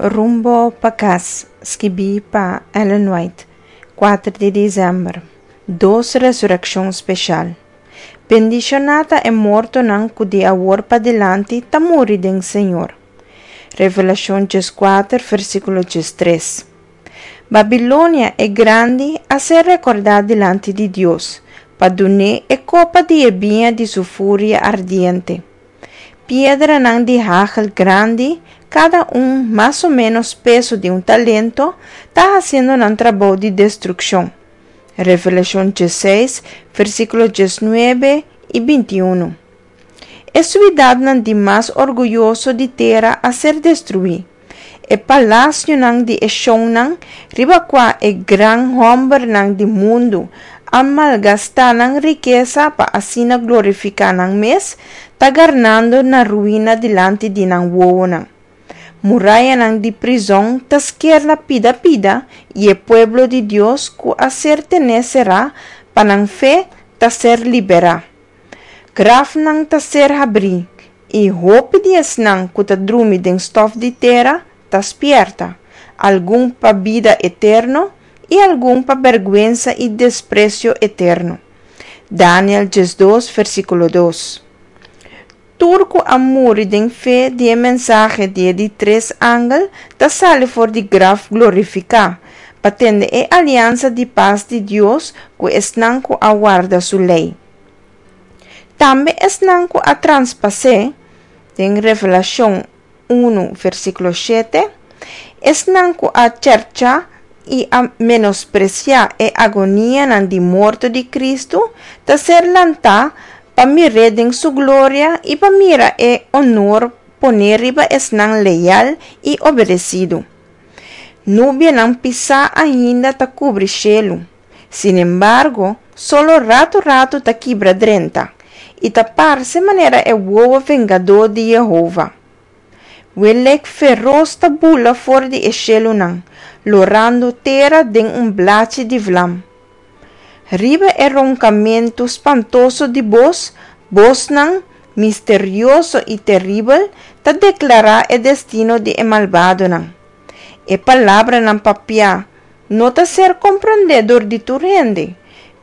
Rumbo pa Kas, skibí pa Ellen White, 4 di desèmber. Dos resurekshon speshal. Bendishoná ta e mortonan ku di awor padilanti ta muri den Señor. Revelashon 14, versíkulo 13. Babilonia e Grandi a ser rekordá dilanti di Dios, pa dun'é e kopa di e biña di su furia ardiente. Piedranan di hagel grandi, kada un mas o ménos peso di un talento, ta hasiendo nan trabou di destrukshon. Revelashon 16, versíkulo 19 i 21. E suidatnan di mas orguyoso di tera a ser destruí. E palasionan di e shonnan, riba kua e gran hòmbernan di mundu a malgastá nan rikesa pa asina glorifiká nan mes, ta garnando na ruina dilanti di nan wowonan. Murayanan di prizòn ta sker na pida pida i e pueblo di Dios ku a ser tené será pa nan fe ta ser liberá. Grafnan ta ser habrí i hopi di esnan ku ta drumi den stòf di tera ta spièrta, algun pa bida eterno i algun pa bèrgwensa i despresio eterno. Daniel 12, versíkulo 2. Tur ku a muri den fe di e mensahe di e di tres angel ta sali for di graf glorifiká, pa tende e aliansa di pas di Dios ku esnan ku a warda su lei. Tambe esnan ku a traspas'é, den Revelashon 1, versíkulo 7, esnan ku a chèrchá i a menospresiá e agonianan di morto di Kristu, ta ser lantá pa mir'é den su gloria i pa mira e onor poné riba esnan leal i obedesidu. Nubianan pisá ainda ta kubri shelu. Sinembargo, solo ratu ratu ta kibra drenta, i ta parse manera e wowo vengadó di Yehova. Welek feros ta bula for di e shelunan, lorando tera den un blachi di vlam. Riba e ronkamentu spantoso di bos, bosnan misterioso i teribel ta deklará e destino di e malbadonan. E palabranan papiá no ta ser komprendé dor di tur hende,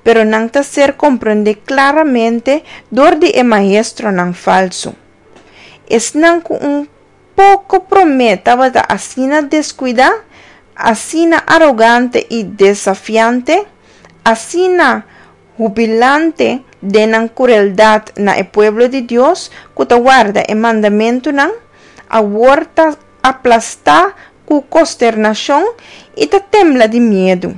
pero nan ta ser komprendé klaramente dor di e maestronan falsu. Esnan ku un poko promé tabata asina deskuidá, asina arogante i desafiante, asina hubilante den nan krueldat na e pueblo di Dios ku ta warda e mandamentunan, awor ta aplastá ku kosternashon i ta tembla di miedu.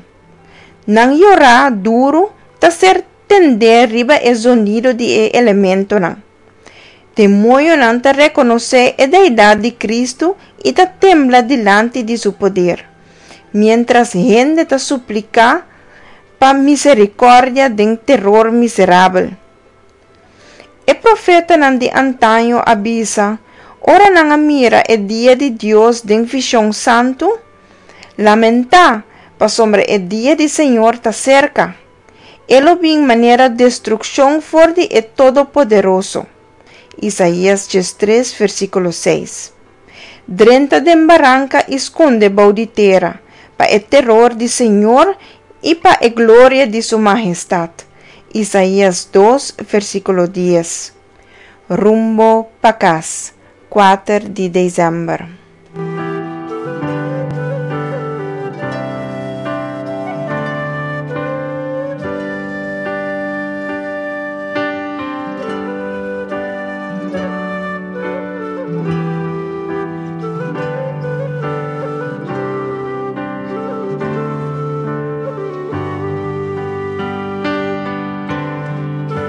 Nan yorá duru ta ser tendé riba e zonido di e elementonan. Demoñonan ta rekonosé e deidat di Kristu i ta tembla dilanti di su poder, miéntras hende ta supliká pa miserikòrdia den teror miserabel. E profetanan di antaño a bisa, ora nan a mira e dia di Dios den vishon santu, Lamentá, pasobra e dia di Señor ta serka. E lo bin manera destrukshon for di e Todopoderoso. Isaías 13, versíkulo 6. Drenta den baranka i skonde bou di tera, pa e teror di Señor i pa e gloria di su mahestat. Isaías 2, versíkulo 10. Rumbo pa kas, 4 di desèmber.